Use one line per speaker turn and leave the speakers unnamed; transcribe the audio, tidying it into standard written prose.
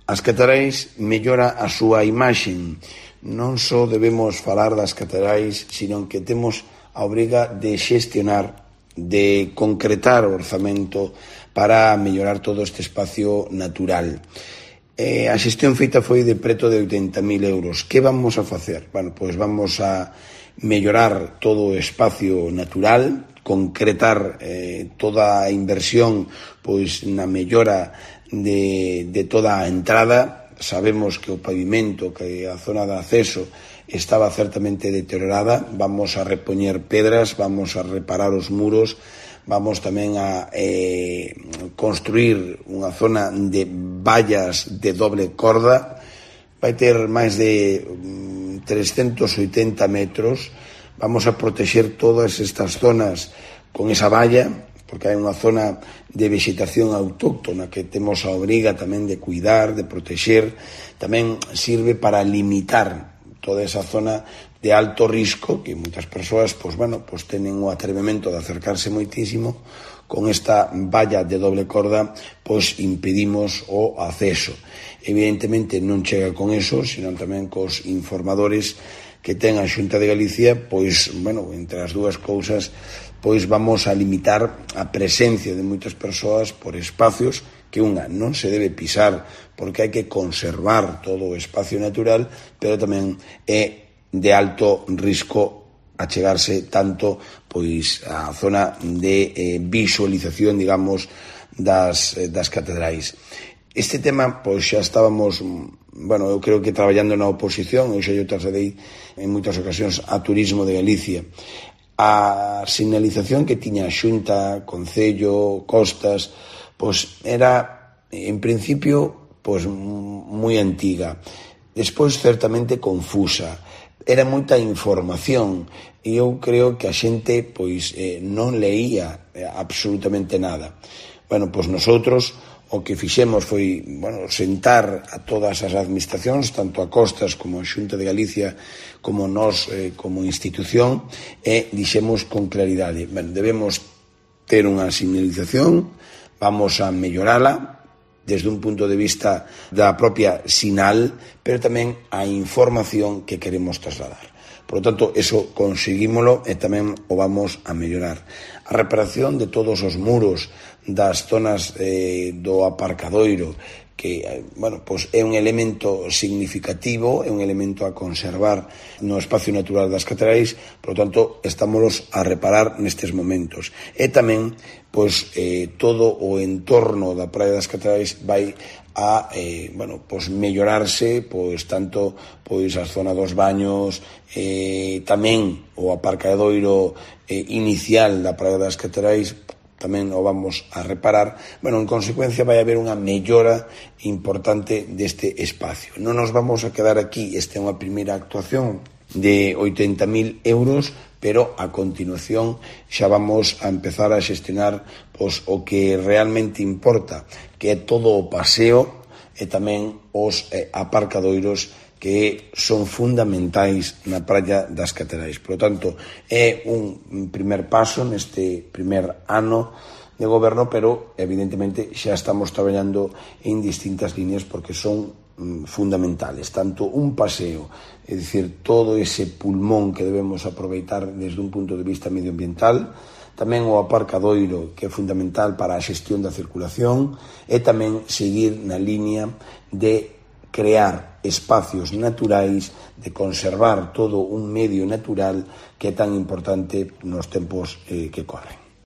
As catedrais mellora a súa imaxe. Non só debemos falar das catedrais, sino que temos a obriga de xestionar, de concretar o orzamento para mellorar todo este espacio natural. A xestión feita foi de preto de 80.000 euros. Que vamos a facer? Bueno, pois vamos a mellorar todo o espacio natural, concretar toda a inversión pois na mellora de toda a entrada. Sabemos que o pavimento, que a zona de acceso estaba certamente deteriorada. Vamos a repoñer pedras, vamos a reparar os muros, vamos tamén a construir unha zona de vallas de doble corda. Vai ter máis de 380 metros. Vamos a protexer todas estas zonas con esa valla, porque hai unha zona de vegetación autóctona que temos a obriga tamén de cuidar, de protexer. Tamén sirve para limitar toda esa zona de alto risco que moitas persoas tenen o atrevemento de acercarse moitísimo. Con esta valla de doble corda impedimos o acceso. Evidentemente non chega con eso, sino tamén cos informadores que ten a Xunta de Galicia, entre as dúas cousas, vamos a limitar a presencia de moitas persoas por espacios que non se debe pisar, porque hai que conservar todo o espacio natural, pero tamén é de alto risco achegarse tanto a zona de visualización, digamos, das catedrais. Este tema, xa estábamos, eu creo que traballando na oposición, eu xa yo trasladei en moitas ocasións a Turismo de Galicia. A sinalización que tiña a Xunta, Concello, Costas, era, en principio, moi antiga. Despois, certamente, confusa. Era moita información e eu creo que a xente non leía absolutamente nada. Nosotros o que fixemos foi sentar a todas as administracións, tanto a Costas como a Xunta de Galicia, como nós como institución, e dixemos con claridade, debemos ter unha sinalización, vamos a mellorala desde un punto de vista da propia sinal, pero tamén a información que queremos trasladar. Por lo tanto, eso conseguímolo e tamén o vamos a mellorar. A reparación de todos os muros das zonas do aparcadoiro, que é un elemento significativo, é un elemento a conservar no espacio natural das catedrais, por lo tanto, estámolos a reparar nestes momentos. E tamén, todo o entorno da Praia das Catedrais vai a mellorarse, tanto a zona dos baños, tamén o aparcadoiro inicial da Praia das Catedrais, tamén o vamos a reparar. En consecuencia vai haber unha mellora importante deste espacio. Non nos vamos a quedar aquí, esta é unha primeira actuación de 80.000 euros, pero a continuación xa vamos a empezar a xestionar o que realmente importa, que é todo o paseo e tamén os aparcadoiros que son fundamentais na Praia das Catedrais. Por lo tanto, é un primer paso neste primer ano de goberno, pero evidentemente xa estamos traballando en distintas líneas porque son fundamentales. Tanto un paseo, é dicir, todo ese pulmón que debemos aproveitar desde un punto de vista medioambiental, tamén o aparcadoiro, que é fundamental para a xestión da circulación, e tamén seguir na línea de crear espacios naturais, de conservar todo un medio natural que é tan importante nos tempos que corren.